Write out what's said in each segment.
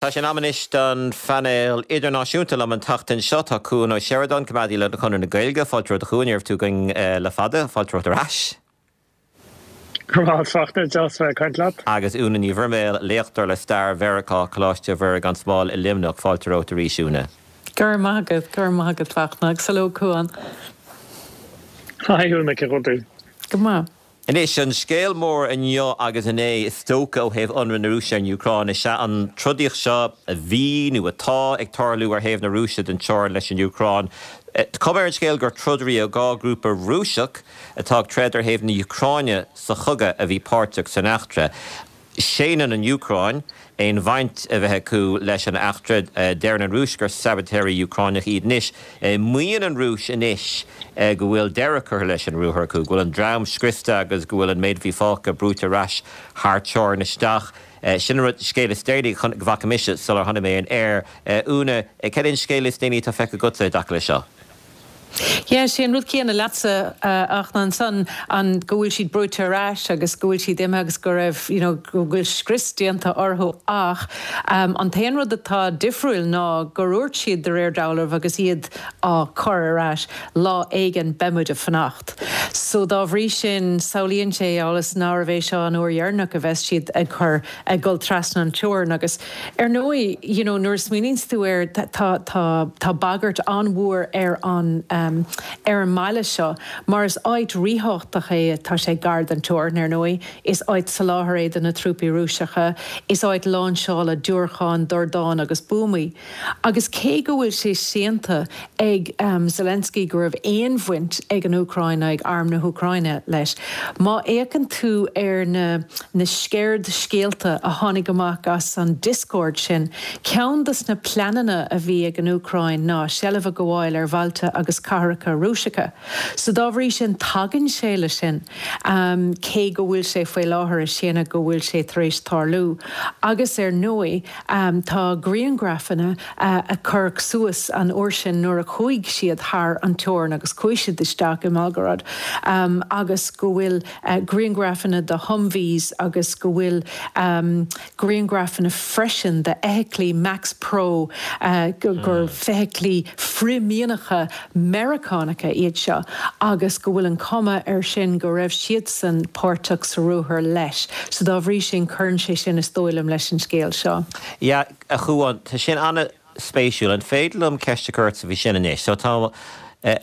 Tá sé in am anois don phainéal idirnáisiúnta. Liom an tseachtain seo tá Cuan Ó Seireadáin, coimeádaí le Conradh na Gaeilge. Fáilte romhat a Chuain, ní raibh tú againn le fada. Fáilte romhat ar ais. Go raibh maith agat Fachtna, deas bheith ag caint leat. Agus Úna Ní Bhroiméil, léachtóir le stair Mheiriceá, Coláiste Mhuire gan Smál i Luimneach. Fáilte romhat arís, Úna. Go raibh maith agat, go raibh maith agat Fachtna, agus hello Cuan. Hi Úna, cén chaoi a bhfuil tú? Go maith. Anois, an scéal mór inniu agus inné, is dócha, ó thaobh ionradh na Rúise ar an Úcráin, is ea an trodaíocht seo a bhí, nó atá, ag tarlú ar thaobh na Rúise den teorainn leis an Úcráin. Tá cuma ar an scéal gur trodairí ó 2 ghrúpa Rúiseach atá ag troid ar thaobh na hÚcráine sa chogadh a bhí páirteach san eachtra. Séanann an Úcráin aon bhaint a bheith acu leis an eachtra. Deireann an Rúis gur sabaitéirí Úcráineach iad anois. Maíonn an Rúis anois go bhfuil deireadh curtha leis an ruathar acu, go bhfuil an dream scriosta agus go bhfuil an méid a bhí fágtha brúite ar ais thar teorainn isteach. Sin an rud, scéal is déanaí go bhfaca mise sular tháinig mé ar an aer. Úna, cad é an scéal is déanaí atá feicthe agatsa i dtaca leis seo? Yeah, sé an rud céanna leatsa ach ansan an go bhfuil siad brúite ar ais agus go bhfuil siad imithe agus go raibh, you know, go bhfuil scrios déanta orthu ach an t-aon rud atá difriúil ná gur dhúirt siad de réir dealraimh agus iad á cur ar ais, lá éigin beidh muid ag fanacht. So dá bhrí sin samhlaíonn sé amhail is nárbh é seo an uair dheireanach a bheas siad ag cur, ag dul trasna an teorainn agus Ar ndóigh, you know, nuair a smaoiníonns tú air, tá, tá, tá bagairt an-mhór ar an, ar an mbaile seo, mar is áit ríthábhachtach é, tá sé gar don teorainn, ar ndóigh, is áit soláthair é do na trúpaí Rúiseacha, is áit láinseála diúracán, dordán agus buamaí. Agus cé go bhfuil sé séanta ag Zelensky go raibh aon bhaint ag an Úcráin ná ag Arm na hÚcráine leis, má fhéachann tú ar na na sceird-scéalta a tháinig amach as an Discord sin, ceann dos na pleananna a bhí ag an Úcráin ná seilbh a ghabháil ar bhailte agus cathracha Rúiseacha. So dá bhrí sin tagann sé le sin, cé go bhfuil sé faoi láthair ag séanadh go bhfuil sé tar éis tarlú. Agus ar ndóigh, Tá grianghrafanna a cuireadh suas an uair sin nuair a chuaigh siad thar an teorainn agus chuaigh siad isteach i mBelgorod agus go bhfuil grianghrafanna de Humvees agus go bhfuil grianghrafanna freisin de fheithiclí MaxxPro gur feithiclí frith-mhianacha Meiriceánacha iad seo agus go bhfuil an cuma air sin go raibh siadsan páirteach sa ruathar leis. So dá bhrí sin cuireann sé sin is dóigh liom leis an scéal seo. Yeah, a Chuáin, tá sin an-spéisiúil. An féidir liom ceist a chur ortsa faoi sin anois? So tá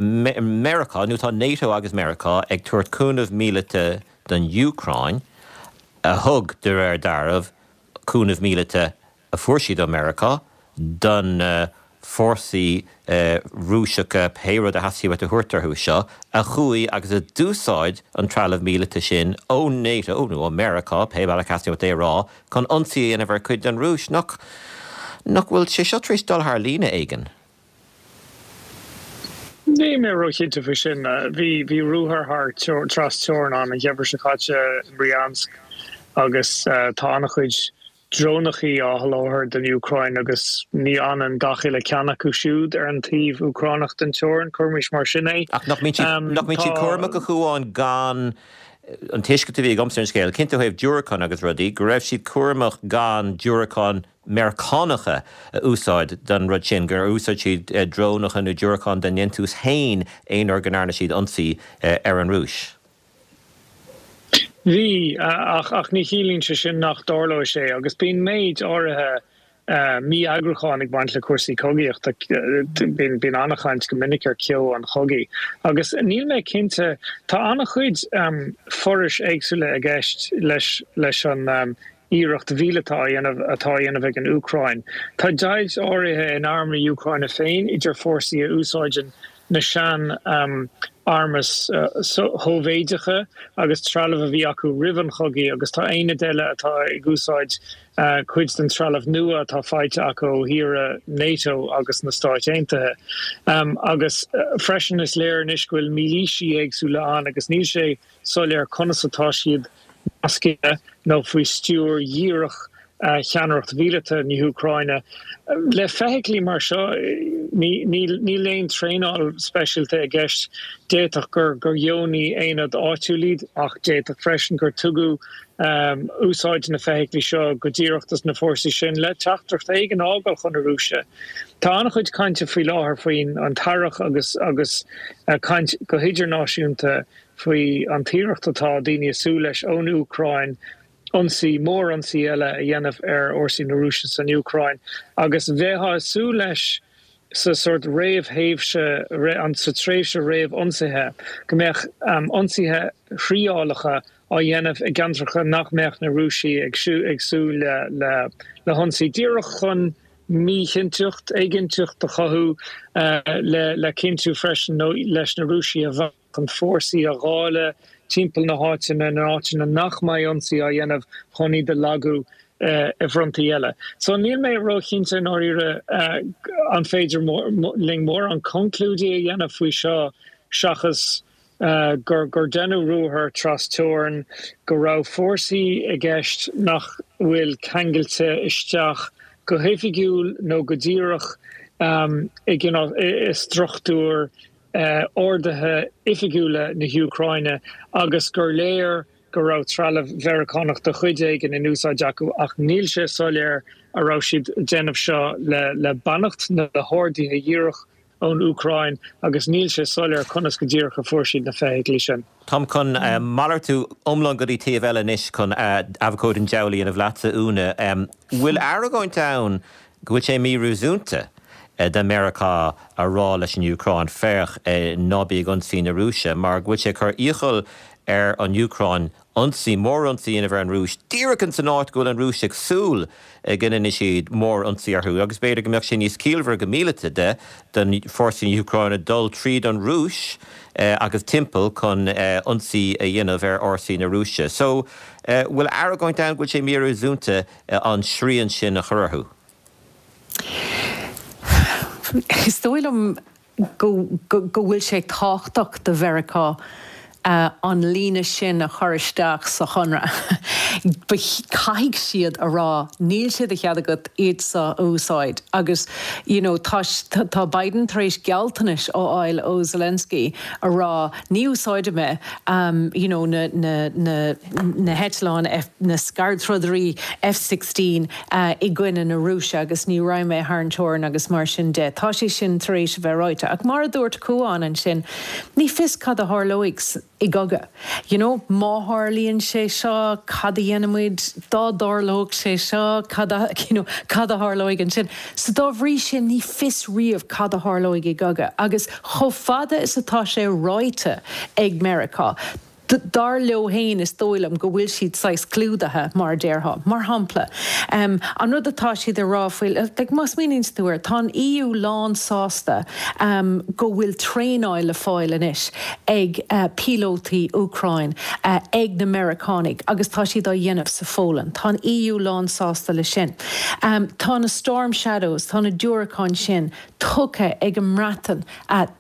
Meiriceá, nó tá NATO agus Meiriceá ag tabhairt cúnamh míleata don Úcráin, a thug, de réir dealraimh, cúnamh míleata a fuair siad ó Meiriceá do na fórsaí Rúiseacha, pé rud a theastaigh uait a thabhairt orthu seo, a chuaigh agus a d'úsáid an trealamh míleata sin ó NATO nó ó Meiriceá, pé bealach a theastaíonn uait é a rá, chun ionsaí a dhéanamh ar chuid den Rúis. Nach, nach bhfuil sé seo tar éis dul thar líne éigin? Níl mé róchinnte faoi sin. Bhí, bhí ruathar thar tras teorann ann an geimhreadh seo caite i mBryansk agus tá an-chuid drónachaí á sholáthar don Úcráin agus ní fhanann gach uile ceann acu siúd ar an taobh Úcránach den teorainn, cuirimis mar sin é. Ach nach mbíonn siad, nach mbíonn siad cúramach a Chuáin gan, an tuiscint a bhí agamsa ar an scéal, cinnte ó thaobh diúracán agus rudaí, go raibh siad cúramach gan diúracáin Meiriceánacha a úsáid don rud sin, gur úsáid siad drónacha nó diúracáin dá ndéantús féin aon uair go ndearna siad ionsaí ar an Rúis. Bhí, ach ach ní chiallaíonn sé sin nach dtarlóidh sé, agus bíonn méid áirithe mí-eagrúcháin ag baint le cúrsaí cogaíochta. Bíonn bíonn an-chaint go minic ar ceo an chogaidh. Agus níl mé cinnte, tá an-chuid forais éagsúla i gceist leis leis an iarracht mhíleata á dhéanamh atá á dhéanamh ag an Úcráin. Tá deighilt áirithe in arm na hÚcráine féin idir fórsaí a úsáideann na sean armas Shóivéideacha agus trealamh a bhí acu roimh an chogaidh agus tá aonaid eile atá ag úsáid cuid den trealamh nua atá faighte acu ó thíortha NATO agus na Stáit Aontaithe. Agus freisin is léir anois go bhfuil mílísí éagsúla ann agus níl sé soiléir conas atá siad nasctha nó faoi stiúir dhíreach. cheannaireacht mhíleata na hÚcráine. Le feithiclí mar seo, níl aon traenáil speisialta i gceist. D'fhéadfadh gur dheonaigh aonad áitiúil iad ach d'fhéadfadh freisin gur tugadh úsáid na feithiclí seo go díreach dos na fórsaí sin le teachtaireacht éigin a fhágáil chun na Rúise. Tá an-chuid cainte faoi láthair faoin an t-earrach agus agus caint go hidirnáisiúnta faoi an t-iarracht atá daoine ag súil leis ón Úcráin ionsaí, mórionsaí eile a dhéanamh ar fhórsaí na Rúise san Úcráin agus bheifeá ag súil leis sa sórt réamhthéimhse, sa tréimhse réamh-ionsaithe, go mbeadh ionsaithe thriálacha á dhéanamh i gceantracha nach mbeadh na Rúisigh ag súil le hionsaí, díreach chun míchinnteacht, éiginnteacht a chothú le cinntiú freisin nó leis na Rúisigh a bhac. chun fórsaí a dháileadh timpeall na háite na n-áiteanna nach mbeidh ionsaí á dhéanamh chun iad a lagú i bhfrontaí eile. So níl mé róchinnte i ndáiríre an féidir linn mórán conclúidí a dhéanamh faoi seo seachas gur gur deineadh ruathar tras-teorann, go raibh fórsaí i gceist nach bhfuil ceangailte isteach go hoifigiúil nó go díreach i gcineál i struchtúr orduithe oifigiúla na hÚcráine agus gur léir go raibh trealamh Mheiriceánach de chuid éigin in úsáid acu ach níl sé soiléir a raibh siad ag déanamh seo le beannacht nó le horduithe dhíreach ón Úcráin agus níl sé soiléir conas go díreach a fuair siad na feithiclí sin. Táim chun malartú iomlán go dtí taobh eile anois chun abhcóide an diabhail a dhéanamh leatsa, Úna. Bhfuil argóint ann go bhfuil sé míréasúnta do Mheiriceá a rá leis an Úcráin, féach, ná bí ag ionsaí na Rúise, mar go bhfuil sé ag cur iachall ar an Úcráin ionsaí, mórionsaí a dhéanamh ar an Rúis, díreach ins an áit go bhfuil an Rúis ag súil go ndéanfaidh siad mórionsaí orthu, agus b'fhéidir go mbeadh sé níos ciallmhaire go míleata de do fórsaí na hÚcráine dul tríd an Rúis agus timpeall chun ionsaí a dhéanamh ar fhórsaí na Rúise. So, bhfuil argóint ann go bhfuil sé míréasúnta an srian sin a chur orthu. Is dóigh liom go bhfuil sé tábhachtach do Mheiriceá an líne sin a chur isteach sa chonradh. Caithfidh siad a rá níl sé de chead agat iad seo a úsáid agus you know tá tá Biden tar éis gealltanais a fháil ó Zelensky a rá ní úsáidfidh mé you know na na na na heitleáin F, na scairdtrodairí F-16 i gcoinne na Rúise agus ní raghaidh mé thar an teorainn agus mar sin de. Tá sé sin tar éis a bheith ráite. Ach mar a dúirt Cuán ansin, ní fios cad a tharlóidh i gcogadh. You know, má tharlaíonn sé seo, cad a dhéanfaimid? Dá dtarlódh sé seo, cad a, you know, cad a tharlóidh ansin? So dá bhrí sin, ní fios riamh cad a tharlóidh i gcogadh. Agus chomh fada is atá sé ráite ag Meiriceá, Dar leo féin, is dóigh liom go bhfuil siad saghas clúdaithe, mar a déarfá. Mar shampla, an rud atá siad ag rá faoi, like, má smaoiníonn tú air, tá an EU lán sásta go bhfuil traenáil le fáil anois ag píolótaí Úcráin ag na Meiriceánaigh agus tá siad á dhéanamh sa Pholainn. Tá an EU lán sásta le sin. Tá na Storm Shadows, tá na diúracáin sin tugtha ag an mBreatain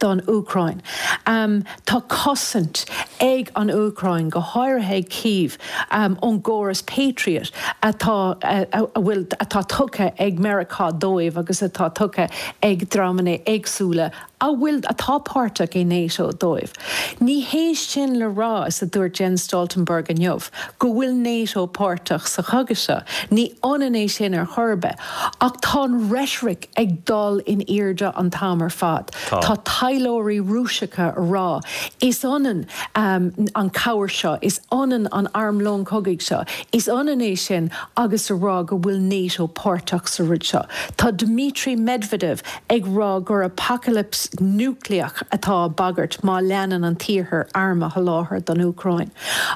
don Úcráin. Tá cosaint ag an Úcráin, go háirithe ag Kyiv, ón gcóras Patriot atá a bhfuil atá tugtha ag Meiriceá dóibh agus atá tugtha ag dreamanna éagsúla a bhfuil atá páirteach i NATO dóibh. Ní hé sin le rá, is a dúirt Jens Stoltenberg inniu, go bhfuil NATO páirteach sa chogadh seo. Ní ionann é sin ar chor ar bith. Ach tá an reitric ag dul in airde an t-am ar fad. Tá taidhleoirí Rúiseacha a rá, is ionann an cabhair seo, is ionann an armlón cogaidh seo, is ionann é sin agus a rá go bhfuil NATO páirteach sa rud seo. Tá Dmitry Medvedev ag rá gur apacailipse núicléach atá á bagairt má leanann an tIarthar arm a sholáthar don Úcráin.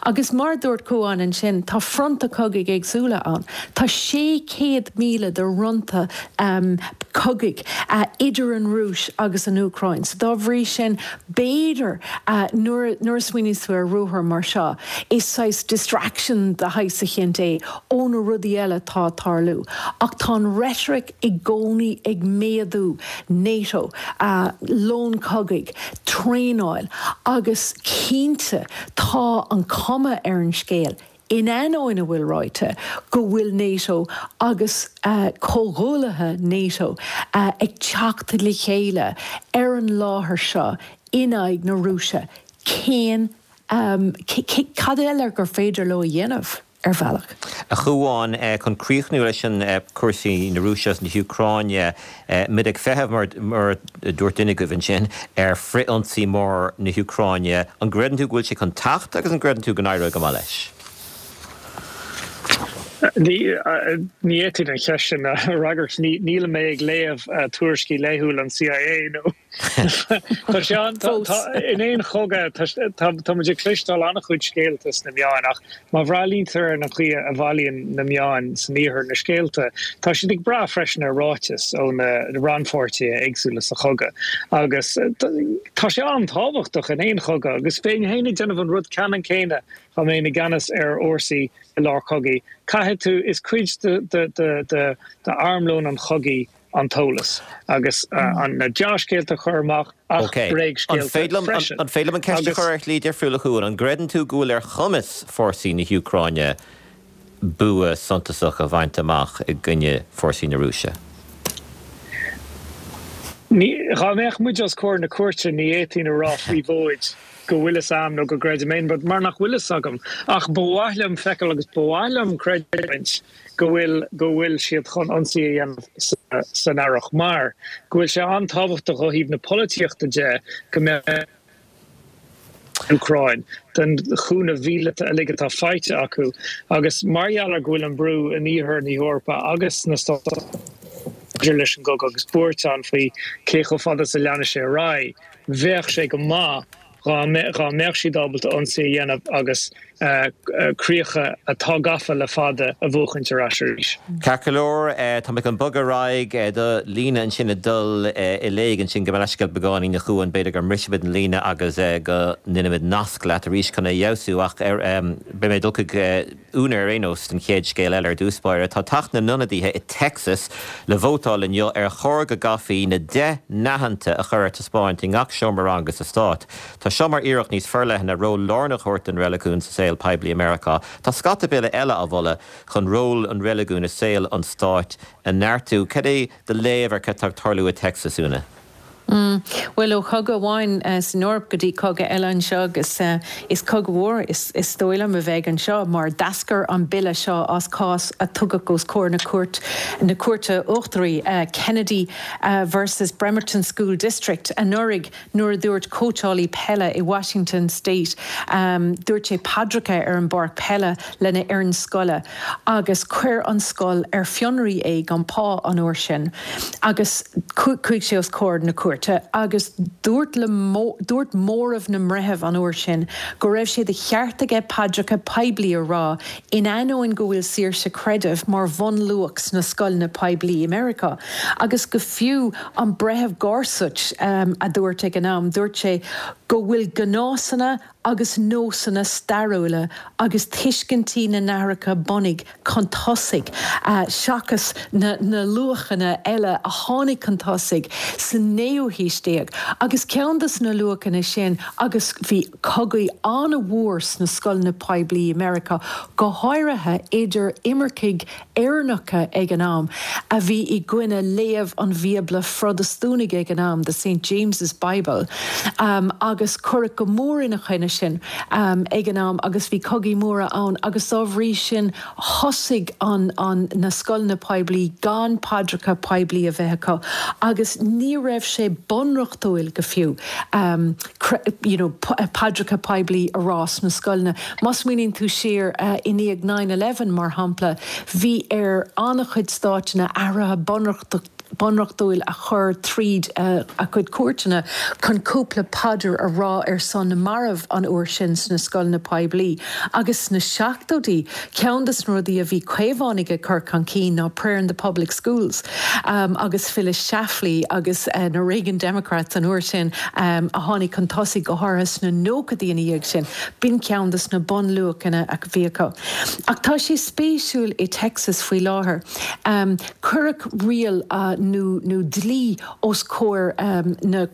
Agus mar a dúirt Cuán ansin, tá fronta cogaidh éagsúla ann. Tá 600 míle de fhronta cogaidh idir an Rúis agus an Úcráin. So dá bhrí sin, b'fhéidir nuair a smaoiníonns tú ar ruathar mar seo, is saghas distraction de shaghas eicínt é ó na rudaí eile atá ag tarlú. Ach tá an rhetoric i gcónaí ag méadú, NATO, lón cogaidh, traenáil agus cinnte tá an cuma ar an scéal. In ainneoin a bhfuil ráite, go bhfuil NATO agus comhghuaillithe NATO ag teacht le chéile ar an láthair seo in aghaidh na Rúise, cén, cad eile gur féidir leo a dhéanamh? ar bhealach. A Chuáin, chun críochnú leis an cúrsaí na Rúise agus na hÚcráine, muid ag feitheamh, mar a dúirt duine agaibh ansin, ar frith-ionsaí mór na hÚcráine. An gcreideann tú go bhfuil sé chun teacht agus an gcreideann tú go n-éireoidh go maith leis? Ní fhéadfainn an cheist sin a fhreagairt. Níl mé ag léamh tuairiscí laethúil an CIA nó. Tá sé an, tá, in aon chogadh, tá, tá muid ag cloisteáil an-chuid scéalta sna meáin ach má bhreathnaítear ar an chaoi a bhailíonn na meáin san iarthar na scéalta, tá siad ag brath freisin ar ráitis ó na rannpháirtithe éagsúla sa chogadh. Agus tá sé an-tábhachtach in aon chogadh agus bheinn féin ag déanamh an rud ceannann céanna dá mbeinn i gceannas ar fhórsaí i lár cogaidh. Caithfidh tú, is cuid de, de, de, de, d'armlón an chogaidh an t-eolas agus na dea-scéalta a chur amach ach bréagscéalta freisin. An féidir liom an ceist a chur ar shlí difriúil, a Chuáin? An gcreideann tú go bhfuil ar chumas fórsaí na hÚcráine bua suntasach a bhaint amach i gcoinne fórsaí na Rúise? Dá mbeadh muid os comhair na cúirte ní fhéadfainn a rá faoi mhóid go bhfuil fhios a'm nó go gcreidim aon rud mar nach bhfuil fhios agam. Ach ba mhaith liom feiceáil agus ba mhaith liom creidiúint go bhfuil go bhfuil siad chun ionsaí a dhéanamh san earrach mar go bhfuil sé an-tábhachtach ó thaobh na polaitíochta de go mbeadh an Úcráin den chúnamh mhíleata uilig atá faighte acu agus mar gheall ar go bhfuil an brú in iarthar na hEorpa agus sna Stáit maidir leis an gcogadh agus buairt ann faoi cé chomh fada is a leanfaidh sé ar aghaidh, bheadh sé go maith Dhá mbeadh siad ábalta ionsaí a dhéanamh agus críocha atá gafa le fada a bhuachaint ar ais arís. Ceart go leor, tá mé chun bogadh ar aghaidh do líne ansin ag dul i léig ansin gabh mo leithscéal beagáinín a Chuáin, b'fhéidir go mbrisfimid an líne agus go ndéanfaimid nasc leat arís chun é a fheabhsú ach beidh mé ag dul chuig Úna ar aon nós don chéad scéal eile ar dtús báire. Tá Teach na nIonadaithe i Texas le vótáil inniu ar chóir go gcaithfí na Deich nAitheanta a chur ar taispeáint i ngach seomra ranga sa stát. Tá seo mar iarracht níos forleithne ról lárnach a thabhairt don reiligiún sa saol poiblí i Meiriceá. Tá scata bille eile á mholadh chun ról an reiligiúin i saol an stáit a neartú. Cad é do léamh ar cad tá ag tarlú i Texas, Úna? Bhuel, ó chogadh amháin san Eoraip go dtí cogadh eile anseo agus is cogadh mhór is dóigh liom a bheidh anseo mar d'eascair an bille seo as cás a tugadh os comhair na cúirt, na Cúirte Uachtaraí, Kennedy versus Bremerton School District anuraidh nuair a dúirt cóitseálaí peile i Washington State, dúirt sé paidreacha ar an bpáirc peile lena fhoireann scoile agus chuir an scoil ar fionraí é gan pá an uair sin agus chuaigh sé os comhair na cúirte agus dúirt le dúirt móramh na mbreitheamh an uair sin go raibh sé de cheart aige paidreacha poiblí a rá in ainneoin go bhfuil saoirse creidimh mar bhunluach sna scoileanna poiblí i Meiriceá agus go fiú an breitheamh Gorsuch a dúirt ag an am dúirt sé go bhfuil gnásanna agus nósanna stairiúla agus tuiscintí na n-aithreacha bunaidh chun tosaigh seachas na luachanna eile a tháinig chun tosaigh sa naoú haois déag. Agus ceann de na luachanna sin, agus bhí cogaí an-mhór sna scoileanna poiblí i Meiriceá, go háirithe idir imircigh Éireannacha ag an am, a bhí i gcoinne léamh an Bhíobla Phrotastúnaigh ag an am, the Saint James's Bible, agus cuireadh go mór ina choinne sin ag an am agus bhí cogaí móra ann agus dá bhrí sin thosaigh an an na scoileanna poiblí gan paidreacha poiblí a bheith acu agus ní raibh sé bunreachtúil go fiú you know paidreacha poiblí a rá sna scoileanna. Má smaoiníonn tú siar i ndiaidh nine eleven, mar shampla, bhí ar an-chuid stáiteanna athruithe bunreachtúil a chur tríd a gcuid cúirteanna chun cúpla paidir a rá ar son na marbh an uair sin sna scoileanna poiblí. Agus sna seachtóidí, ceann de na rudaí a bhí Caomhánaigh ag cur chun cinn ná prayer in the public schools agus Phyllis Schlafly agus na Reagan Democrats an uair sin a tháinig chun tosaigh go háirithe sna nóchaidí ina dhiaidh sin. B'in ceann de na bunluachanna a bhí acu. Ach tá sé spéisiúil i Texas faoi láthair. Cuireadh riail. nó nó dlí os comhair na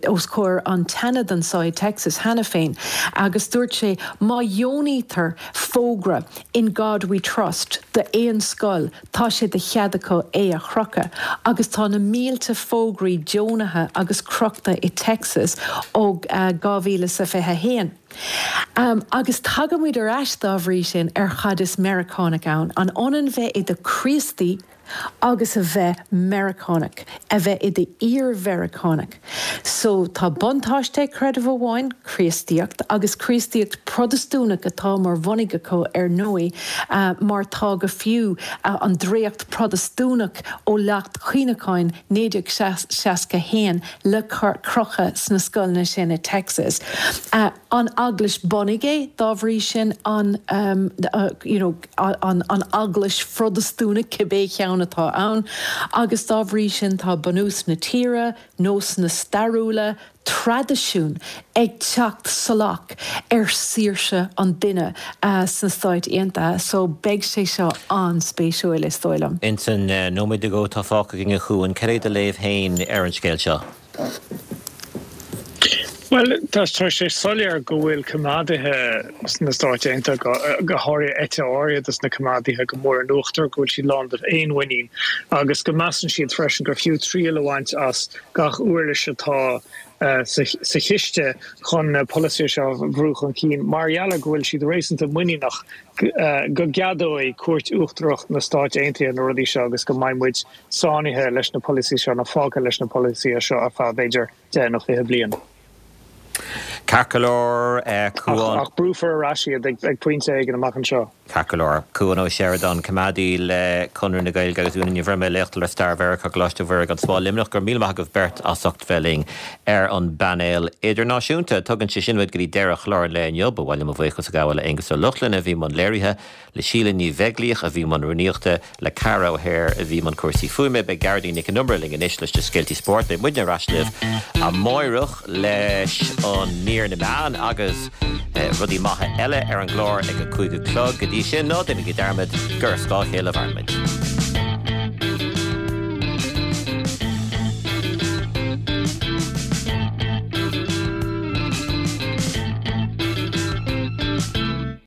os comhair an tSeanad anseo i Texas cheana féin agus dúirt sé má dheonaítear fógra In God We Trust d'aon scoil tá sé de chead acu é a chrochadh agus tá na mílte fógraí deonaithe agus crochta i Texas ó 2021. Agus tagaimid ar ais dá bhrí sin ar cad is Meiriceánach ann. An ionann bheith i do Chríostaí agus a bheith Meiriceánach, a bheith i d'fhíor-Mheiriceánach? So, tá buntáiste ag creideamh amháin, Críostaíocht, agus Críostaíocht Protastúnach atá mar bhunaigh acu ar ndóigh, mar tá go fiú an dréacht Protastúnach ó Leacht Cuimhneacháin 1961 le crochadh sna scoileanna sin i Texas. An eaglais bunaidh é, dá bhrí sin, an you know an eaglais Phrotastúnach, cibé ceann atá ann, agus dá bhrí sin tá bunús na tíre, nósanna stairiúla, traidisiún ag teacht salach ar saoirse an duine sna Stáit Aontaithe. So beidh sé seo an-spéisiúil, is dóigh liom. Ins an nóiméad nó dhó atá fágtha againn, a Chuain, cad é do léamh féin ar an scéal seo? Bhuel, tá sé soiléir go bhfuil coimeádaithe sna Stáit Aontaithe, go háirithe eite áirithe de na coimeádaithe, go mór in uachtar, go bhfuil siad lán de fhéinmhuinín agus go measann siad freisin gur fiú triail a bhaint as gach uirlis atá sa chiste chun na polasaithe seo a bhrú chun cinn mar gheall ar go bhfuil siad réasúnta muiníneach go gceadóidh Cúirt Uachtarach na Stáit Aontaithe na rudaí seo agus go mbeidh muid sáinnithe leis na polasaithe seo nó fágtha leis na polasaithe seo ar feadh b'fhéidir 10 nó 20 bliain. Ceart go leor, Cuan. Ach brúfar ar ais iad ag pointe éigin amach anseo. Ceart go leor. Cuan Ó Seireadáin, coimeádaí le Conradh na Gaeilge agus Úna Ní Bhruime, léachtóir le Stair Mheiriceá, Coláiste Mhuire gan Smál, Luimneach. Go raibh míle maith agaibh beirt as ucht bheith linn ar an bpainéal idirnáisiúnta. Tugann sé sin muid go dtí deireadh chlár an lae inniu. Ba mhaith liom mo bhuíochas a ghabháil le Aengus Ó Lochlainn a bhí i mbun léirithe, le Síle Ní Bheaglaoich a bhí i mbun rúnaíochta, le Ceara O'Hare a bhí i mbun cúrsaí fuaime. Beidh Gearóidín Nic Con Iomaire linn anois leis na scéaltaí spóirt. Beidh muidne ar ais libh amáireach leis an mír na meán agus rudaí maithe eile ar an gclár ag a 5 a chlog. Go dtí sin, ná déanaigí dearmad gur ar scáth a chéile a mhaireann muid.